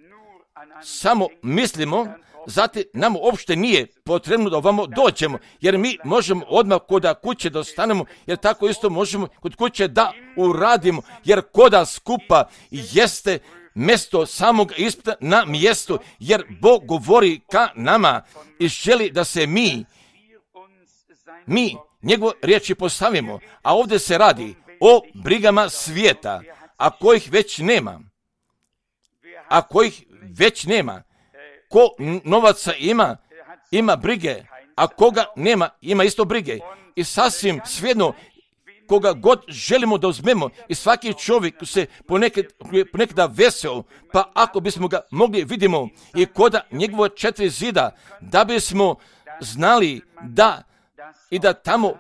samo mislimo, zatim nam uopšte nije potrebno da ovamo dođemo, jer mi možemo odmah kod kuće da ostanemo, jer tako isto možemo kod kuće da uradimo, jer koda skupa jeste mjesto samog ispita na mjestu, jer Bog govori ka nama i želi da se mi, mi njegove riječi postavimo, a ovdje se radi o brigama svijeta, a kojih već nema, a kojih već nema. Ko novaca ima, ima brige, a koga nema, ima isto brige. I sasvim svejedno, koga god želimo da uzmemo, i svaki čovjek se ponekad, ponekada vesel, pa ako bismo ga mogli vidimo i koda njegova četiri zida, da bismo znali da i da tamo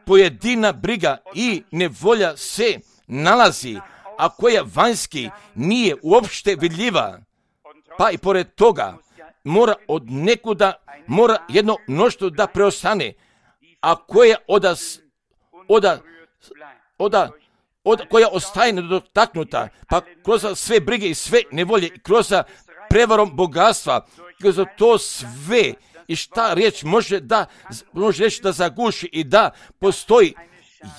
pojedina briga i nevolja se nalazi, a koja vanjski nije uopšte vidljiva. Pa i pored toga mora od nekuda, mora jedno mnoštvo da preostane, a koja oda, oda, oda, oda, koja ostaje nedotaknuta, pa kroz sve brige i sve nevolje, kroz prevarom bogatstva, kroz to sve i šta riječ može da, može reći da zaguši i da postoji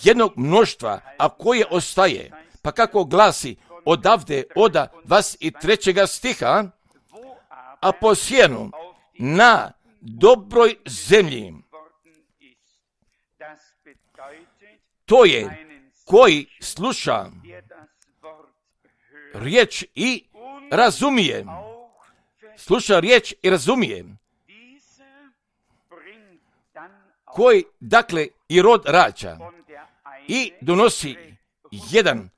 jednog mnoštva, a koje ostaje. Pa kako glasi odavde, oda dvadeset trećeg stiha, a posijenu na dobroj zemlji. To je koji sluša riječ i razumije. Sluša riječ i razumije. Koji, dakle, i rod rađa i donosi jedan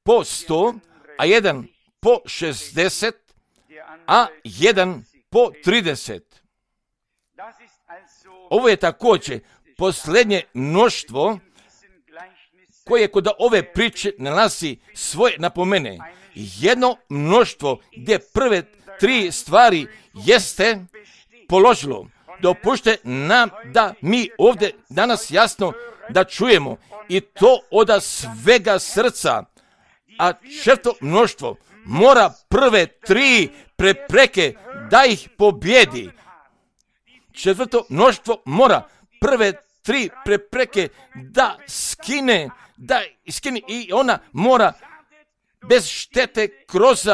po sto, a jedan po šezdeset, a jedan po trideset. Ovo je također posljednje mnoštvo koje kod ove priče nalazi svoje napomene. Jedno mnoštvo gdje prve tri stvari jeste položilo. Dopušte nam da mi ovdje danas jasno da čujemo i to od svega srca, a četvrto mnoštvo mora prve tri prepreke da ih pobjedi. Četvrto mnoštvo mora prve tri prepreke da skine, da skine i ona mora bez štete kroz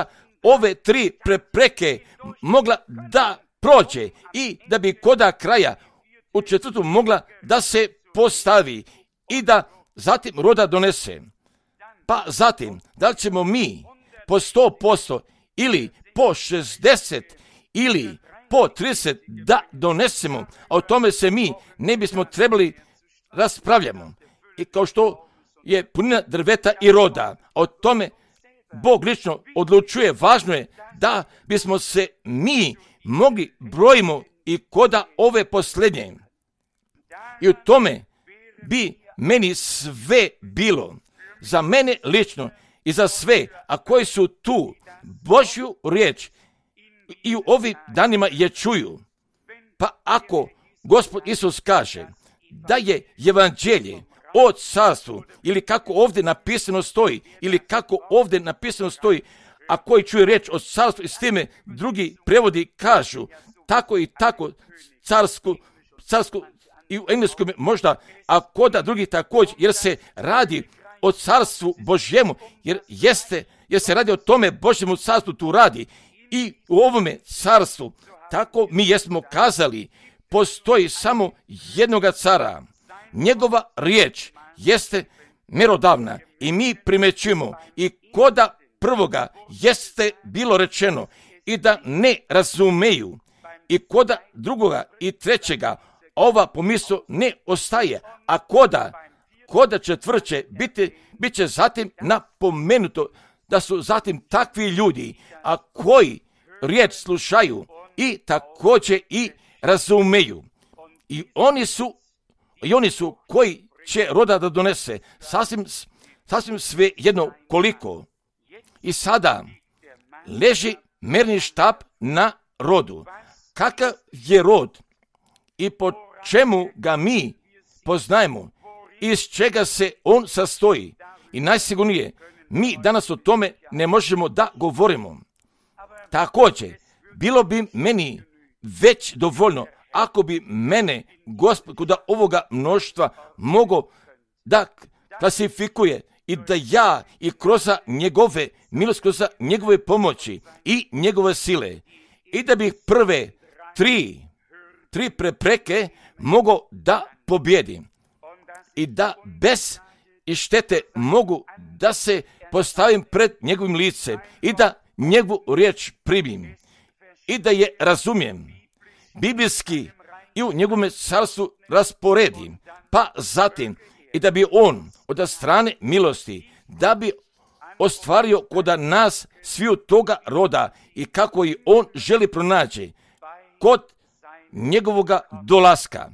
ove tri prepreke mogla da prođe i da bi koda kraja u četvrtu mogla da se postavi i da zatim roda donese. Pa zatim, da li ćemo mi po sto posto ili po šezdeset ili po trideset da donesemo, a o tome se mi ne bismo trebali raspravljamo. I kao što je punina drveta i roda, a o tome Bog lično odlučuje, važno je da bismo se mi mogli brojimo i koda ove posljednje. I u tome bi meni sve bilo, za mene lično i za sve, a koji su tu Božju riječ i u ovim danima je čuju. Pa ako Gospod Isus kaže da je evanđelje o carstvu, ili kako ovdje napisano stoji, ili kako ovdje napisano stoji, a koji čuje riječ o carstvu i s time drugi prevodi kažu tako i tako carsku, carsku i u engleskom možda, a koda drugi također, jer se radi o carstvu Božjemu, jer jeste, jer se radi o tome Božjemu carstvu tu radi i u ovome carstvu tako mi jesmo kazali, postoji samo jednoga cara. Njegova riječ jeste mjerodavna i mi primećujemo i koda prvoga jeste bilo rečeno i da ne razumeju i koda drugoga i trećega ova pomisao ne ostaje, a koda, koda četvrće biti, bit će zatim napomenuto da su zatim takvi ljudi, a koji riječ slušaju i također i razumeju. I oni su, i oni su koji će roda da donese, sasvim, sasvim sve jedno koliko. I sada leži merni štap na rodu. Kakav je rod i po čemu ga mi poznajemo, iz čega se on sastoji. I najsigurnije, mi danas o tome ne možemo da govorimo. Također, bilo bi meni već dovoljno ako bi mene Gospod kod ovoga mnoštva mogao da klasifikuje i da ja i kroz njegove milosti, kroz njegove pomoći i njegove sile i da bih prve tri, tri prepreke mogao da pobjedim i da bez i štete mogu da se postavim pred njegovim licem i da njegovu riječ primim i da je razumijem biblijski i u njegovom carstvu rasporedim, pa zatim i da bi on od strane milosti, da bi ostvario kod nas sviju toga roda i kako i on želi pronaći kod njegovoga dolaska,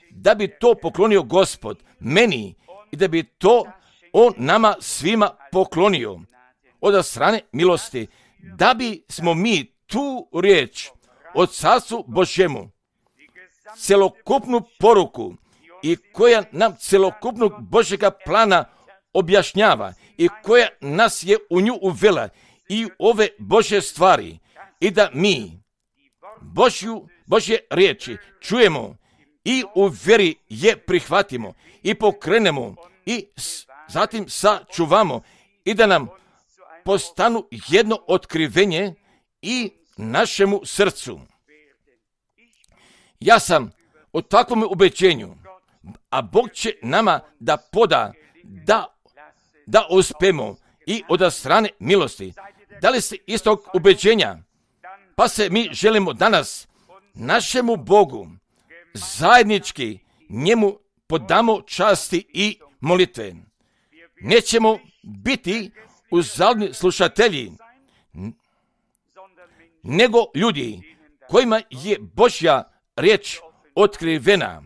da bi to poklonio Gospod meni i da bi to on nama svima poklonio od strane milosti, da bi smo mi tu riječ od Carstvu Božjemu, celokupnu poruku i koja nam celokupnog Božjega plana objašnjava i koja nas je u nju uvela i ove Božje stvari i da mi Božju, Božje riječi čujemo i u vjeri je prihvatimo i pokrenemo i zatim sačuvamo i da nam postanu jedno otkrivenje i našemu srcu. Ja sam o takvom ubeđenju, a Bog će nama da poda, da, da uspemo i od strane milosti. Da li ste istog ubeđenja? Pa se mi želimo danas našemu Bogu zajednički njemu podamo časti i molitve. Nećemo biti uzaludni slušatelji, nego ljudi kojima je Božja riječ otkrivena.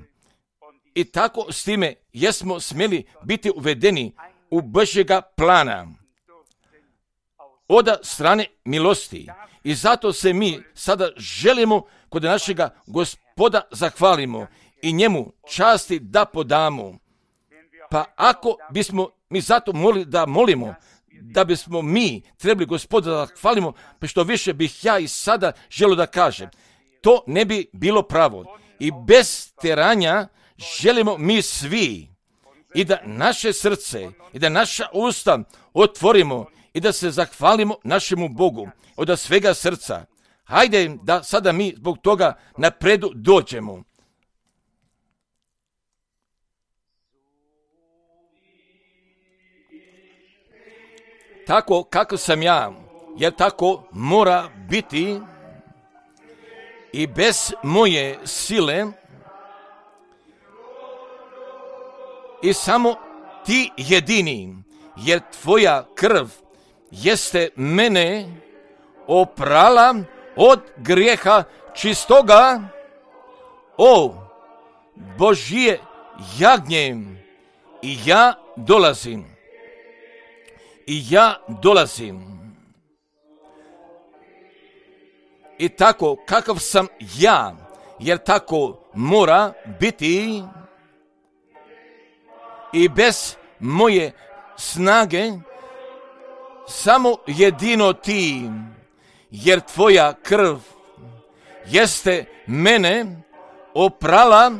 I tako s time jesmo smjeli biti uvedeni u Božjega plana od strane milosti. I zato se mi sada želimo kod našega Gospoda zahvalimo i njemu časti da podamo. Pa ako bismo mi zato molili da molimo, da bismo mi trebali Gospoda da zahvalimo, pa što više bih ja i sada želio da kažem, to ne bi bilo pravo. I bez teranja želimo mi svi i da naše srce i da naša usta otvorimo i da se zahvalimo našemu Bogu od svega srca. Hajde da sada mi zbog toga napredu dođemo. Tako kako sam ja, jer tako mora biti i bez moje sile i samo ti jedini, jer tvoja krv jeste mene oprala od grijeha čistoga. O Božje jagnje, i ja dolazim. I ja dolazim. I tako kakav sam ja, jer tako mora biti i bez moje snage, samo jedino ti, jer tvoja krv jeste mene oprala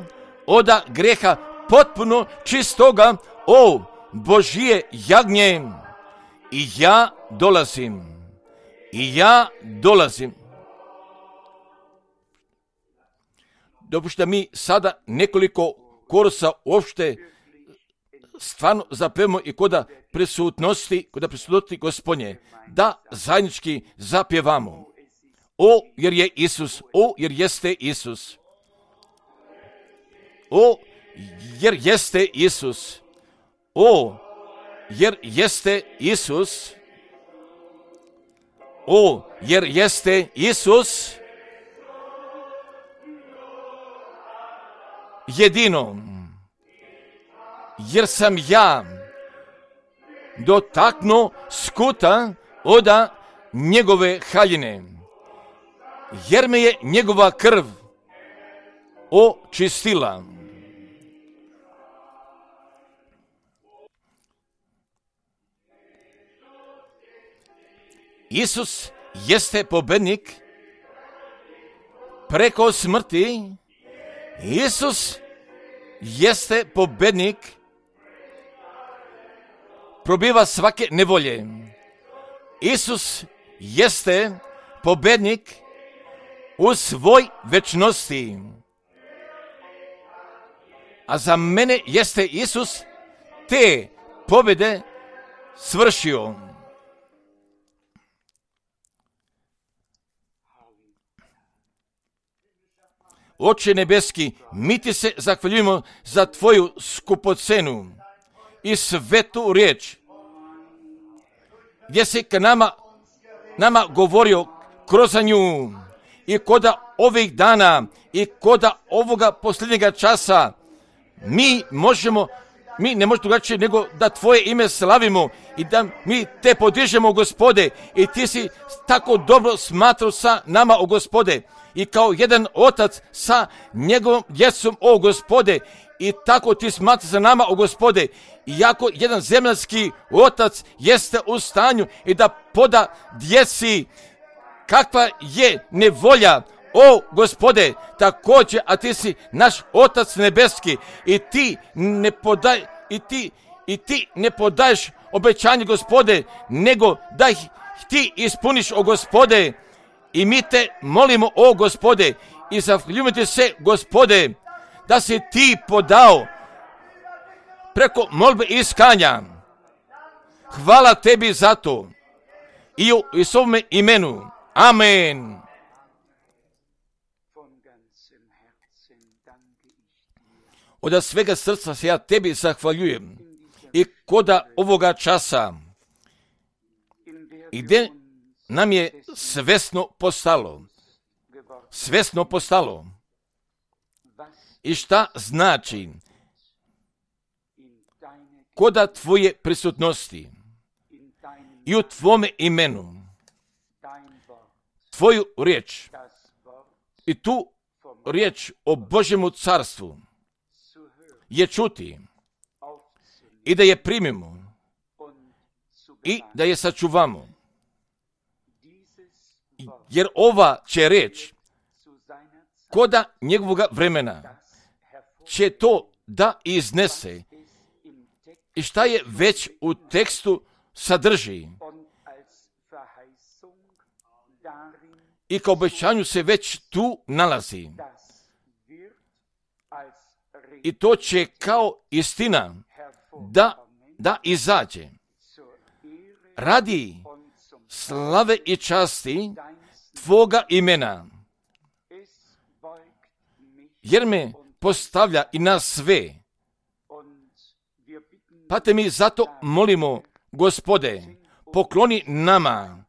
od grijeha potpuno čistoga. O Božje jagnje, i ja dolazim. I ja dolazim. Dopušta mi sada nekoliko korusa uopšte stvarno zapevamo i koda prisutnosti, koda prisutnosti Gospodnje, da zajednički zapjevamo. O, jer je Isus, o, jer jeste Isus. O, jer jeste Isus. O, jer jeste Isus. O, jer jeste Isus. Jedino, jer sam ja dotaknuo skuta oda njegove haljine, jer me je njegova krv očistila. Isus jeste pobednik preko smrti. Isus jeste pobednik, probiva svake nevolje. Isus jeste pobednik u svoj večnosti. A za mene jeste Isus te pobjede svršio. Oče nebeski, mi ti se zahvaljujemo za tvoju skupocenu i svetu riječ, gdje si k nama, nama govorio kroz nju i koda ovih dana i koda ovoga posljednjega časa mi možemo, mi ne možemo drugačije nego da tvoje ime slavimo i da mi te podižemo, Gospode, i ti si tako dobro smatrao sa nama, o Gospode, i kao jedan otac sa njegovom djecom, o Gospode, i tako ti smatra sa nama, o Gospode, iako jedan zemljanski otac jeste u stanju i da poda djeci kakva je nevolja, o Gospode, također, a ti si naš otac nebeski i ti ne podaj, i ti, i ti ne podaješ obećanje, Gospode, nego da ih ti ispuniš, o Gospode. I mi te molimo, o Gospode, i zahvaljujemo ti se, Gospode, da si ti podao preko molbe i iskanja. Hvala tebi za to. I u Isusovome imenu. Amen. Od svega srca se ja tebi zahvaljujem. I koda ovoga časa, i gdje nam je svesno postalo, svesno postalo, i šta znači koda tvoje prisutnosti i u tvome imenu, tvoju riječ i tu riječ o Božjemu carstvu je čuti i da je primimo i da je sačuvamo. Jer ova će riječ koda njegovog vremena će to da iznese i šta je već u tekstu sadrži i kao obećanju se već tu nalazi i to će kao istina da, da izađe radi slave i časti tvoga imena, jer me postavlja i nas sve. Pa te mi zato molimo, Gospode, pokloni nama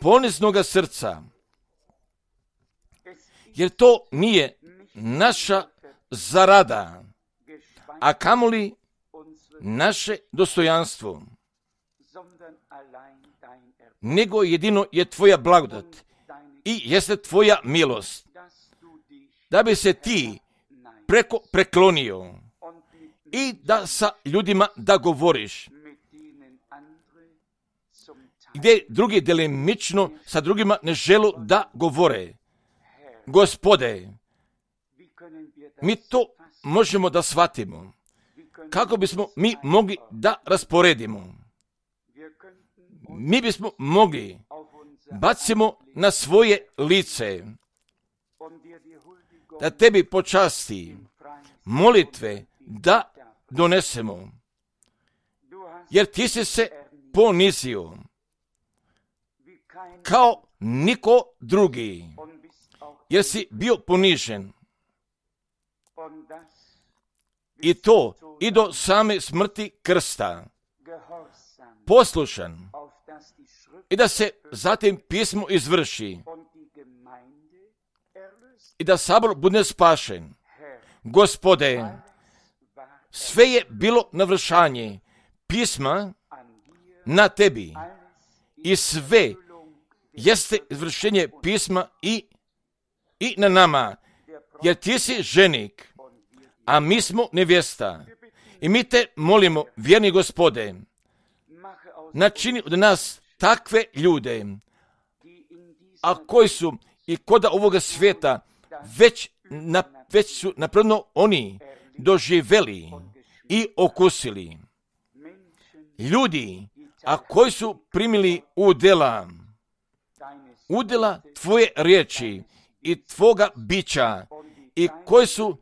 poniznoga srca, jer to nije naša zarada, a kamoli naše dostojanstvo, nego jedino je tvoja blagodat i jeste tvoja milost, da bi se ti preko preklonio i da sa ljudima da govoriš, gdje drugi delimično sa drugima ne želu da govore. Gospode, mi to možemo da shvatimo, kako bismo mi mogli da rasporedimo. Mi bismo mogli bacimo na svoje lice da tebi počasti molitve da donesemo. Jer ti si se ponizio kao niko drugi, jer si bio ponižen. I to i do same smrti krsta, poslušan, i da se zatim pismo izvrši i da sabor bude spašen. Gospode, sve je bilo navršanje pisma na tebi i sve jeste izvršenje pisma i, i na nama, jer ti si ženik, a mi smo nevjesta. I mi te molimo, vjerni Gospode, načini od nas takve ljude, a koji su i koda ovoga svijeta već, na, već su napravno oni doživjeli i okusili. Ljudi, a koji su primili udjela, udjela tvoje riječi i tvoga bića i koji su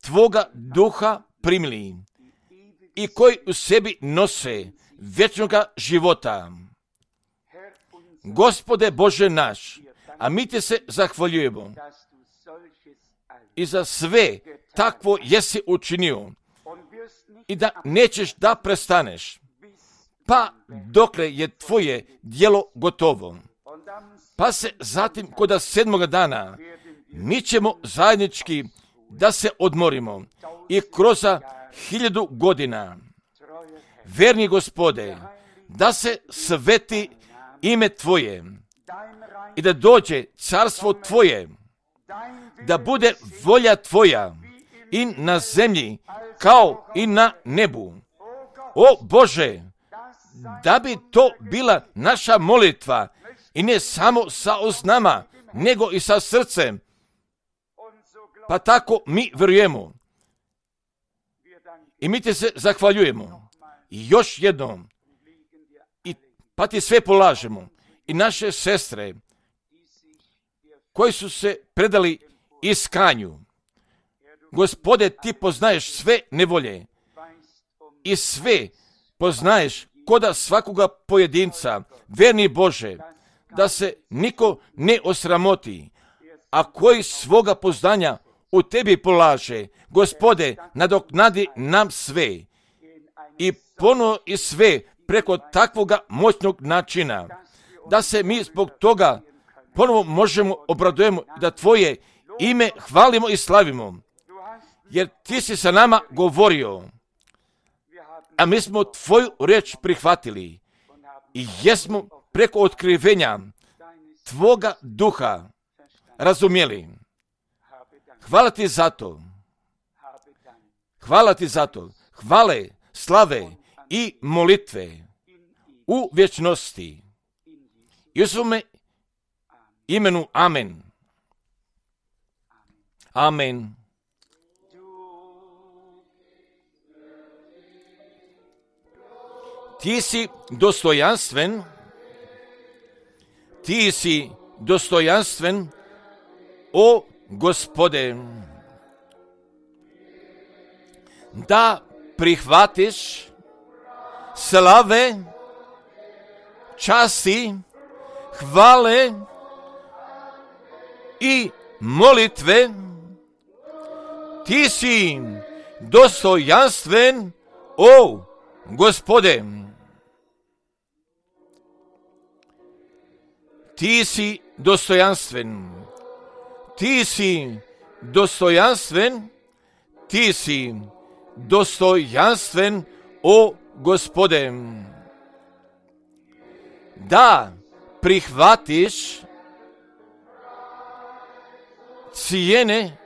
tvoga duha primili i koji u sebi nose vječnoga života. Gospode Bože naš, a mi te se zahvaljujemo i za sve takvo jesi učinio i da nećeš da prestaneš, pa dokle je tvoje djelo gotovo. Pa se zatim koda sedmoga dana mi ćemo zajednički da se odmorimo i kroz hiljadu godina, verni Gospode, da se sveti ime Tvoje i da dođe carstvo Tvoje, da bude volja Tvoja i na zemlji kao i na nebu. O Bože, da bi to bila naša molitva i ne samo sa usnama, nego i sa srcem, pa tako mi vjerujemo. I mi te se zahvaljujemo. I još jednom, i pa ti sve polažemo. I naše sestre, koji su se predali iskanju. Gospode, ti poznaješ sve nevolje i sve poznaješ koda svakoga pojedinca, verni Bože, da se niko ne osramoti, a koji svoga poznanja u tebi polaže. Gospode, nadoknadi nam sve i ponovo i sve preko takvoga moćnog načina, da se mi zbog toga ponovo možemo obradujemo, da Tvoje ime hvalimo i slavimo, jer Ti si sa nama govorio, a mi smo Tvoju riječ prihvatili i jesmo preko otkrivenja Tvoga duha razumjeli. Hvala Ti za to. Hvala Ti za to. Hvale, slave i molitve u vječnosti. I u svome imenu amen. Amen. Ti si dostojanstven, ti si dostojanstven, o Gospode, da prihvatiš slave, časti, hvale i molitve. Ti si dostojanstven, o Gospode. Ti si dostojanstven, ti si dostojanstven, ti si dostojanstven, o Gospode. Da prihvatiš cijene,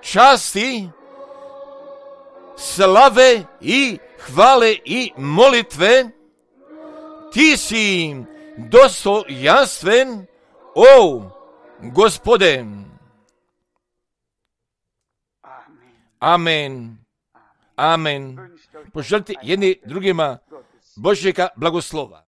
časti, slave i hvale i molitve, ti si dostojanstven, o Gospode. Amen. Amen. Poželite jedni drugima Božjega blagoslova.